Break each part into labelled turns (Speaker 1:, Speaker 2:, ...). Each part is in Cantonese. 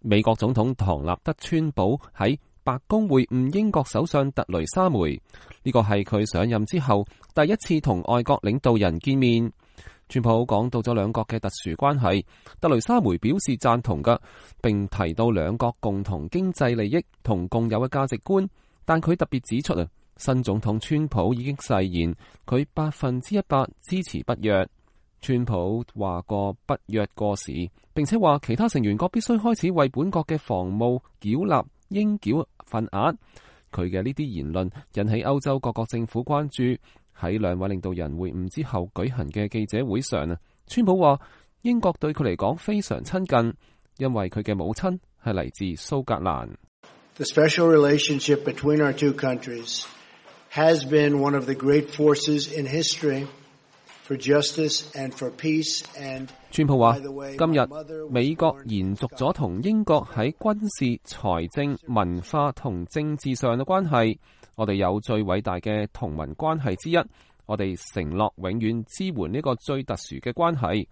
Speaker 1: 美國總統唐納德·川普喺白宮會晤英國首相特雷莎梅，呢個係佢上任之後第一次同外國領導人見面。川普講到咗兩國嘅特殊關係，特雷莎梅表示贊同嘅，並提到兩國共同經濟利益同共有嘅價值觀。但佢特別指出啊，新總統川普已經誓言佢100%支持北約。川普話過北約過時，並且話其他成員國必須開始為本國嘅防務繳納應繳份額。佢嘅呢啲言論引起歐洲各國政府關注。喺兩位領導人會晤之後舉行嘅記者會上啊，川普話英國對佢嚟講非常親近，因為佢嘅母親係嚟自蘇格蘭。
Speaker 2: The special relationship between our two countries has been one of the great forces in history for justice and for peace and
Speaker 1: 川普話今日美國延續咗同英國喺軍事、財政、文化同政治上嘅關係。我哋有最偉大嘅同盟關係之一，我哋承諾永遠支援呢個最特殊嘅關係。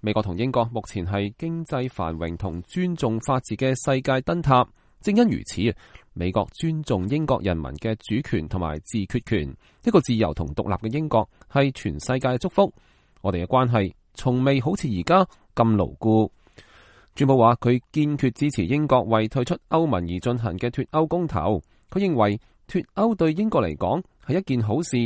Speaker 1: 美國同英國目前係經濟繁榮同尊重法治嘅世界燈塔，正因如此，美國尊重英國人民嘅主權同埋自決權。一個自由同獨立嘅英國係全世界嘅祝福。我哋嘅關係從未好似而家咁牢固。川普話佢堅決支持英國為退出歐盟而進行嘅脫歐公投。佢認為脫歐對英國嚟講係一件好事，